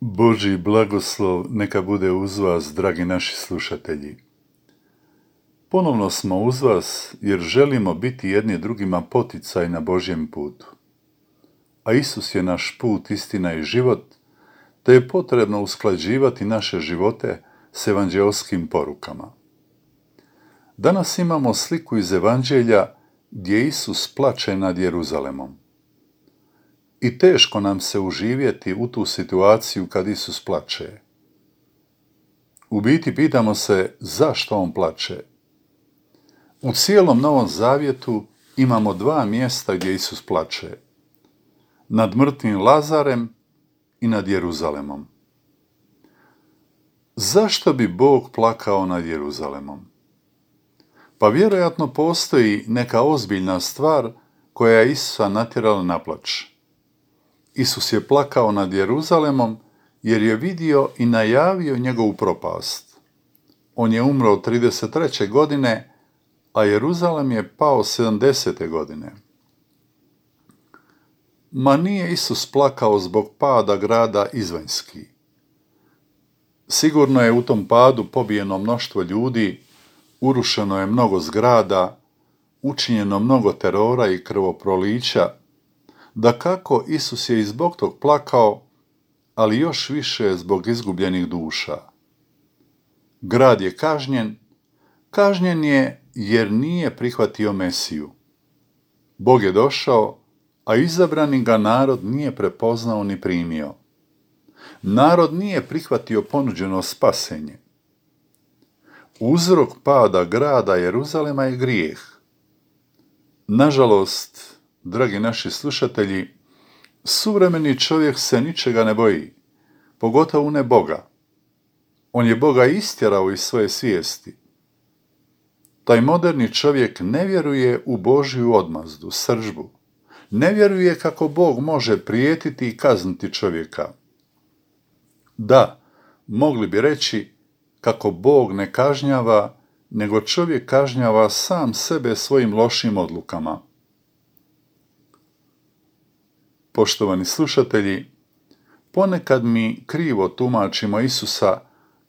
Božji blagoslov neka bude uz vas, dragi naši slušatelji. Ponovno smo uz vas jer želimo biti jedni drugima poticaj na Božjem putu. A Isus je naš put, istina i život, te je potrebno usklađivati naše živote s evanđelskim porukama. Danas imamo sliku iz Evanđelja gdje Isus plače nad Jeruzalemom. I teško nam se uživjeti u tu situaciju kad Isus plače. U biti pitamo se zašto on plače. U cijelom Novom Zavjetu imamo 2 mjesta gdje Isus plače. Nad mrtvim Lazarem i nad Jeruzalemom. Zašto bi Bog plakao nad Jeruzalemom? Pa vjerojatno postoji neka ozbiljna stvar koja je Isusa natjerala na plač. Isus je plakao nad Jeruzalemom jer je vidio i najavio njegovu propast. On je umro 33. godine, a Jeruzalem je pao 70. godine. Ma nije Isus plakao zbog pada grada izvanjski. Sigurno je u tom padu pobijeno mnoštvo ljudi, urušeno je mnogo zgrada, učinjeno mnogo terora i krvoprolića. Dakako, Isus je i zbog tog plakao, ali još više zbog izgubljenih duša. Grad je kažnjen je jer nije prihvatio Mesiju. Bog je došao, a izabrani ga narod nije prepoznao ni primio. Narod nije prihvatio ponuđeno spasenje. Uzrok pada grada Jeruzalema je grijeh. Nažalost, dragi naši slušatelji, suvremeni čovjek se ničega ne boji, pogotovo ne Boga. On je Boga istjerao iz svoje svijesti. Taj moderni čovjek ne vjeruje u Božju odmazdu, srdžbu. Ne vjeruje kako Bog može prijetiti i kazniti čovjeka. Da, mogli bi reći kako Bog ne kažnjava, nego čovjek kažnjava sam sebe svojim lošim odlukama. Poštovani slušatelji, ponekad mi krivo tumačimo Isusa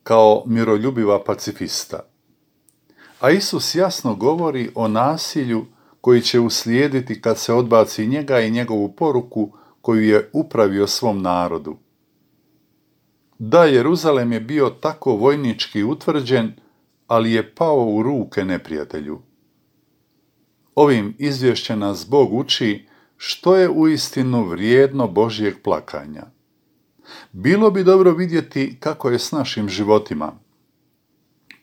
kao miroljubiva pacifista. A Isus jasno govori o nasilju koji će uslijediti kad se odbaci njega i njegovu poruku koju je upravio svom narodu. Da, Jeruzalem je bio tako vojnički utvrđen, ali je pao u ruke neprijatelju. Ovim izvješćem nas Bog uči što je uistinu vrijedno Božjeg plakanja. Bilo bi dobro vidjeti kako je s našim životima.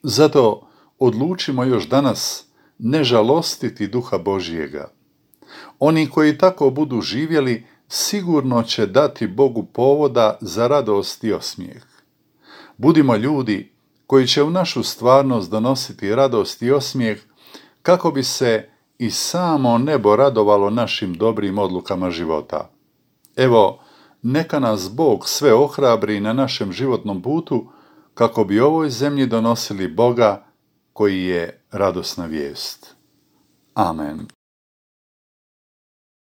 Zato odlučimo još danas ne žalostiti Duha Božjega. Oni koji tako budu živjeli sigurno će dati Bogu povoda za radost i osmijeh. Budimo ljudi koji će u našu stvarnost donositi radost i osmijeh kako bi se i samo nebo radovalo našim dobrim odlukama života. Evo, neka nas Bog sve ohrabri na našem životnom putu kako bi ovoj zemlji donosili Boga koji je radosna vijest. Amen.